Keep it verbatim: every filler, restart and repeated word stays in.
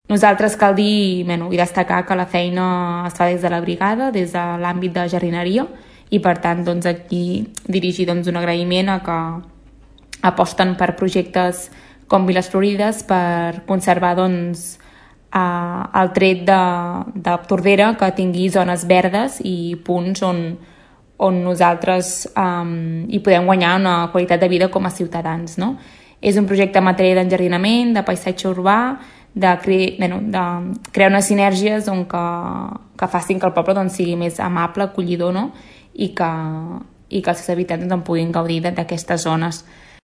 Nosaltres cal dir bueno, i destacar que la feina es fa des de la brigada, des de l'àmbit de jardineria, i per tant doncs, aquí dirigir doncs, un agraïment a que aposten per projectes com Viles Florides per conservar doncs, eh, el tret de, de Tordera, que tingui zones verdes i punts on, on nosaltres eh, hi podem guanyar una qualitat de vida com a ciutadans. No? És un projecte en matèria d'enjardinament, de paisatge urbà, de, cre... bueno, de crear unes sinergies on que, que facin que el poble doncs, sigui més amable, acollidor, no? I, que, i que els seus habitants doncs, en puguin gaudir d'aquestes zones.